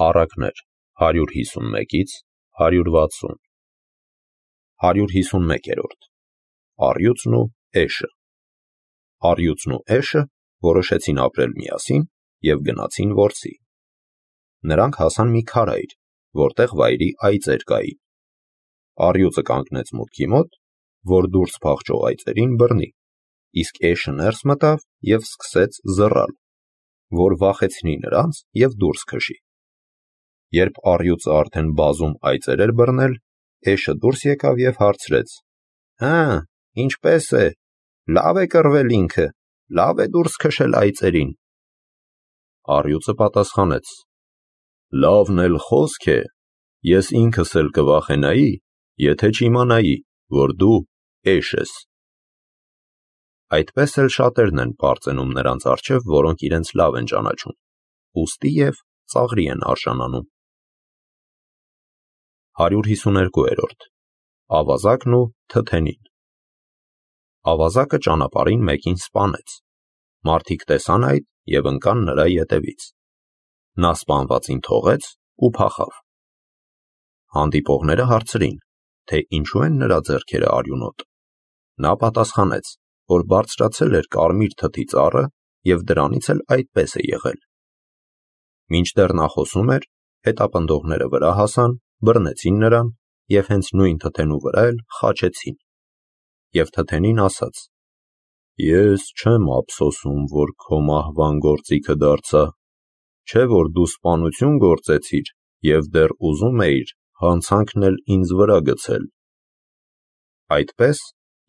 Առակներ 151-ից 160 151-րդ Առյուծն ու էշը Առյուծն ու էշը որոշեցին ապրել միասին և գնացին որսի։ Նրանք հասան մի քարայր, որտեղ վայրի այծեր կային։ Առյուծը կանգնեց մուտքի մոտ, որ դուրս փախչող այծերին բռնի, իսկ էշը ներս մտավ և սկսեց զռալ, որ վախեցնի նրանց և դուրս քշի։ Երբ առյուծը արդեն բազում այծեր էր բռնել, էշը դուրս եկավ և հարցրեց. «Հը, ինչպե՞ս է, լավ է կռվել ինքը, լավ է դուրս քշել այծերին»։ Առյուծը պատասխանեց. «Լավն էլ խոսք է, ես ինքս էլ կվախենայի, եթե չիմանայի, որ դու էշ ես»։ Այդպես էլ շատերն են պարծենում նրանց առջև, որոնք իրենց լավ են ճանաչում, ուստի և ծաղրի են արժանանում։ 152-րդ Ավազակն ու թթենին Ավազակը ճանապարհին մեկին սպանեց։ Մարդիկ տեսան այդ և ընկան նրա ետևից։ Նա սպանվածին թողեց ու փախավ։ Հանդիպողները հարցրին, թե ինչու են նրա ձեռքերը արյունոտ։ Նա պատասխանեց, որ բարձրացել էր կարմիր թթի ծառը և դրանից էլ այդպես է եղել։ Մինչդեռ նա խոսում էր, հետապնդողները վրա հասան, բռնեցին նրան և հենց նույն թթենու վրա էլ խաչեցին։ Եվ թթենին ասաց. «Ես չեմ ափսոսում, որ քո մահվան գործիքը դարձա, չէ՞ որ դու սպանություն գործեցիր և դեռ ուզում էիր հանցանքն էլ ինձ վրա գցել»։ Այդպես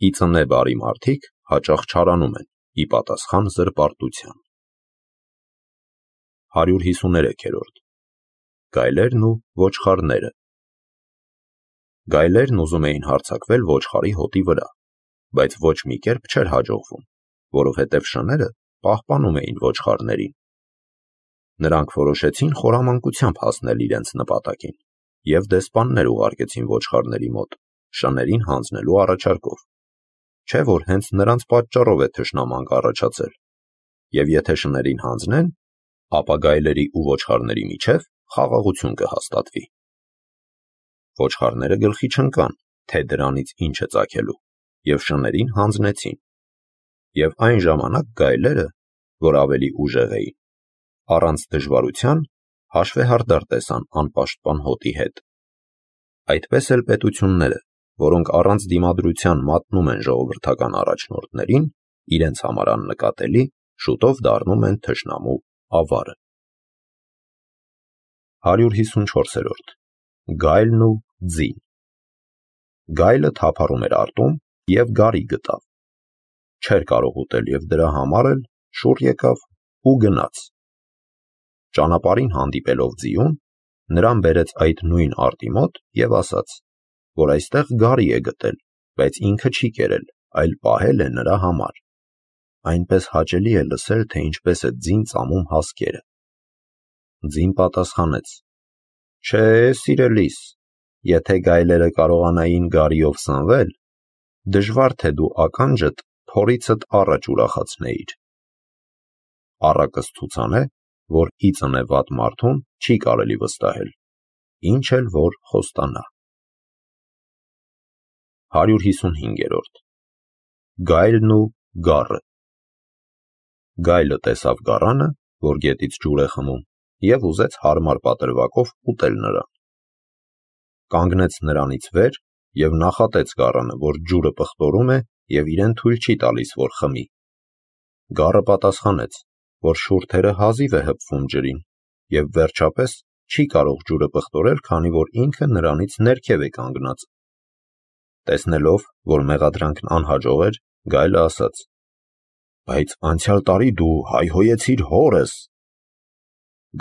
ի ծնե բարի մարդիկ հաճախ չարանում են ի պատասխան զրպարտության։ 153-րդ Գայլերն ու ոչխարները Գայլերն ուզում էին հարձակվել ոչխարի հոտի վրա, բայց ոչ մի կերպ չէր հաջողվում, որովհետև շները պահպանում էին ոչխարներին։ Նրանք որոշեցին խորամանկությամբ հասնել իրենց նպատակին և դեսպաններ ուղարկեցին ոչխարների մոտ, շներին հանձնելու առաջարկով, չէ՞ որ հենց նրանց պատճառով է թշնամանք առաջացել, և եթե շներին հանձնեն, ապա գայլերի ու ոչխարների միջև խաղաղություն կհաստատվի։ Ոչխարները գլխի չընկան, թե դրանից ինչ է ծագելու, և շներին հանձնեցին։ Եվ այն ժամանակ գայլերը, որ ավելի ուժեղ էին, առանց դժվարության հաշվեհարդար տեսան անպաշտպան հոտի հետ։ Այդպես էլ պետությունները, որոնք առանց դիմադրության մատնում են ժողովրդական առաջնորդներին, իրենց համար աննկատելի, շուտով դառնում են թշնամու ավարը։ 154-րդ Գայլն ու ձին Գայլը թափառում էր արտում և գարի գտավ։ Չէր կարող ուտել և դրա համար էլ շուռ եկավ ու գնաց։ Ճանապարհին հանդիպելով ձիուն, նրան բերեց այդ նույն արտի մոտ և ասաց, որ այստեղ գարի է գտել, բայց ինքը չի կերել, այլ պահել է նրա համար։ Այնպես հաճելի է լսել, թե ինչպես է ձին ծամում հասկերը։ Ձին պատասխանեց. «Չէ, սիրելիս, եթե գայլերը կարողանային գարիով սնվել, դժվար թե դու ականջդ փորիցդ առաջ ուրախացնեիր»։ Առակս ցուցան է, որ ի ծնե վատ մարդուն չի կարելի վստահել, ինչ էլ որ խոստանա։ 155-րդ Գայլն ու գառը Գայլը տեսավ գառանը, որ գետից ջուր է խմում, և ուզեց հարմար պատրվակով ուտել նրան։ Կանգնեց նրանից վեր և նախատեց գառանը, որ ջուրը պղտորում է և իրեն թույլ չի տալիս, որ խմի։ Գառը պատասխանեց, որ շուրթերը հազիվ է հպվում ջրին, և վերջապես չի կարող ջուրը պղտորել, քանի որ ինքը նրանից ներքև է կանգնած։ Տեսնելով, որ մեղադրանքն անհաջող էր, գայլը ասաց. «Բայց անցյալ տարի դու հայհոյեցիր հորս»։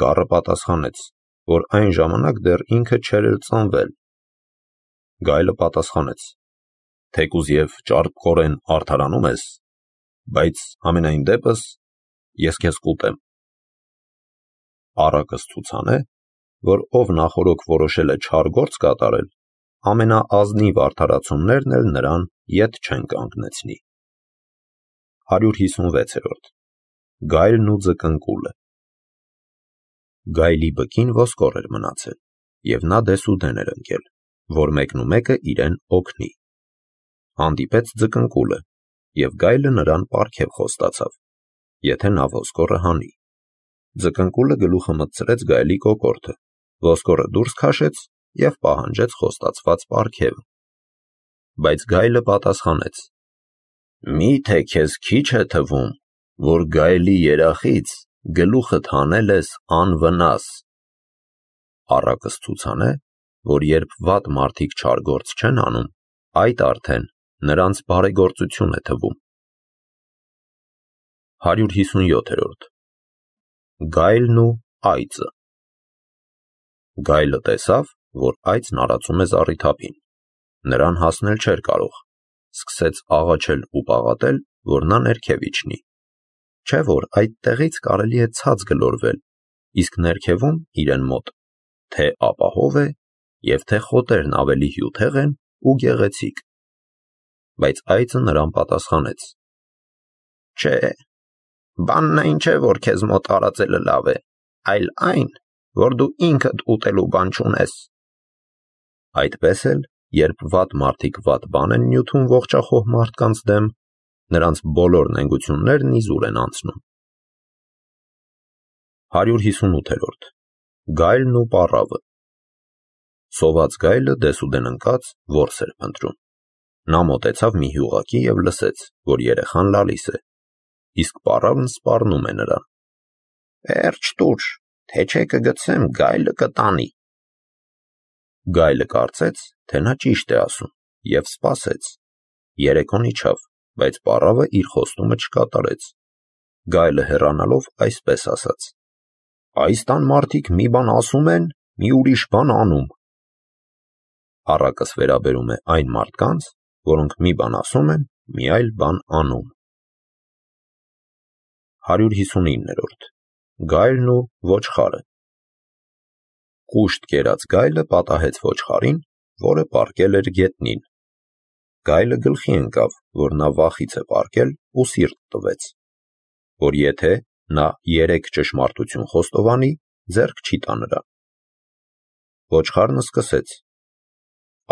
Գառը պատասխանեց, որ այն ժամանակ դեռ ինքը չէր էլ ծնվել։ Գայլը պատասխանեց. «Թեկուզ և ճարպկորեն արդարանում ես, բայց համենայն դեպս ես քեզ կուտեմ»։ Առակս ցուցան է, որ ով նախօրոք որոշել է չար գործ կատարել, ամենաազնիվ արդարացումներն էլ նրան ետ չեն կանգնեցնի։ 156-րդ Գայլն ու ձկնկուլը Գայլի բկին ոսկոր էր մնացել, և նա դեսուդեն էր ընկել, որ մեկնումեկը իրեն օգնի։ Հանդիպեց ձկնկուլը, և գայլը նրան պարգև խոստացավ, եթե նա ոսկորը հանի։ Ձկնկուլը գլուխը մտցրեց գայլի կոկորդը, ոսկորը դուրս քաշեց և պահանջեց խոստացված պարգևը։ Բայց գայլը պատասխանեց. «Մի՞թե քեզ քիչ է թվում, որ գայլի երախից գլուխդ հանել ես անվնաս»։ Առակս ցուցանե, որ երբ վատ մարդիկ չար գործ չեն անում, այդ արդեն նրանց բարեգործություն է թվում։ 157-րդ Գայլն ու այծը։ Գայլը տեսավ, որ այծն արածում է զառիթափին։ Նրան հասնել չէր կարող, սկսեց աղաչել ու պաղատել, որ նա ներքև իջնի։ Չէ՞ որ այդտեղից կարելի է ցած գլորվել, իսկ ներքևում իրեն մոտ թե ապահով է, և թե խոտերն ավելի հյութեղ են ու գեղեցիկ։ Բայց այծը նրան պատասխանեց. «Չէ, բանն այն չէ, որ քեզ մոտ տարածելը լավ է, այլ այն, որ դու ինքդ ուտելու բան չունես»։ Այդպես էլ, երբ վատ մարդիկ վատ բան են նյութում ողջախոհ մարդկանց դեմ, նրանց բոլոր նենգություններն իզուր են անցնում։ 158-րդ Գայլն ու պառավը։ Սոված գայլը դեսուդեն ընկած որս էր փնտրում։ Նա մոտեցավ մի հյուղակի և լսեց, որ երեխան լալիս է, իսկ պառավն սպառնում է նրան. «Վերջ տուր, թե չէ կգցեմ գայլը կտանի»։ Գայլը կարծեց, թե նա ճիշտ է ասում, և սպասեց։ Երեկոն իջավ, բայց պառավը իր խոստումը չկատարեց։ Գայլը հեռանալով այսպես ասաց. «Այս տան մարդիկ մի բան ասում են, մի ուրիշ բան անում»։ Առակս վերաբերում է այն մարդկանց, որոնք մի բան ասում են, մի այլ բան անում։ 159-րդ Գայլն ու ոչխարը։ Կուշտ կերած գայլը պատահեց ոչխարին, որը պառկել էր գետնին։ Գայլը գլխի ընկավ, որ նա վախից է պառկել, ու սիրտ տվեց, որ եթե նա 3 ճշմարտություն խոստովանի, ձեռք չի տա նրան։ Ոչխարն սկսեց.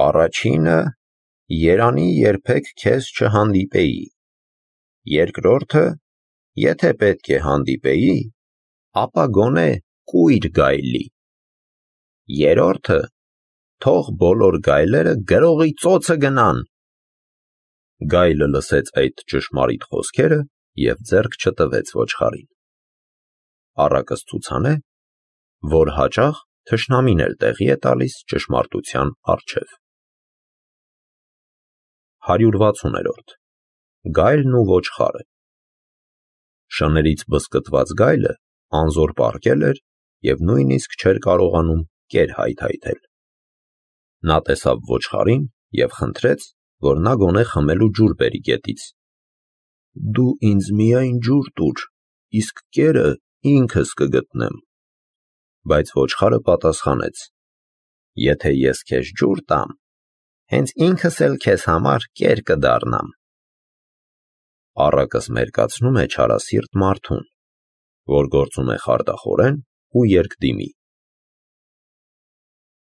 «Առաջինը, երանի երբեք քեզ չհանդիպեի։ Երկրորդը, եթե պետք է հանդիպեի, ապա գոնե կույր գայլի։ Երրորդը, թող բոլոր գայլերը գրողի ծոցը գնան»։ Գայլը լսեց այդ ճշմարիտ խոսքերը և ձեռք չտվեց ոչխարին։ Առակս ցուցանե, որ հաճախ թշնամին էլ տեղի է տալիս ճշմարտության առջև։ 160-րդ Գայլն ու ոչխարը։ Շներից բզկտված գայլը անզոր պառկել էր և նույնիսկ չէր կարողանում կեր հայթայթել։ Նա տեսավ ոչխարին և խնդրեց, որ նա գոնե խմելու ջուր բերի գետից։ «Դու ինձ միայն ջուր տուր, իսկ կերը ինքս կգտնեմ»։ Բայց ոչխարը պատասխանեց. «Եթե ես քեզ ջուր տամ, հենց ինքս էլ քեզ համար կեր կդառնամ»։ Առակս մերկացնում է չարասիրտ մարդուն, որ գործում է խարդախորեն ու երկդիմի։